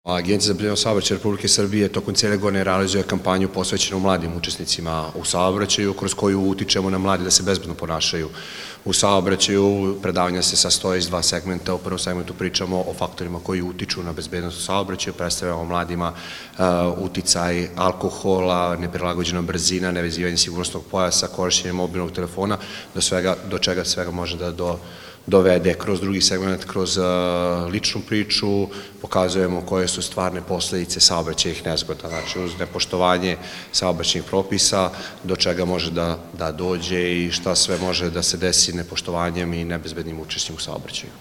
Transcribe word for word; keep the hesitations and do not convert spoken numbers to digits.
Agencija za bezbednost saobraćaja Republike Srbije tokom cijele godine realizuje kampanju posvećenu mladim učesnicima u saobraćaju, kroz koju utičemo na mlade da se bezbedno ponašaju u saobraćaju. Predavanja se sastoje iz dva segmenta. U prvom segmentu pričamo o faktorima koji utiču na bezbednost u saobraćaju, predstavljamo mladima uticaj alkohola, neprilagođena brzina, nevezivanje sigurnosnog pojasa, korišćenje mobilnog telefona, do čega svega može da do dovede. Kroz drugi segment, kroz ličnu priču, pokazujemo koje su stvarne posledice saobraćajnih nezgoda, znači uz nepoštovanje saobraćajnih propisa, do čega može da dođe i šta sve može da se desi nepoštovanjem i nebezbednim učešćem u saobraćaju.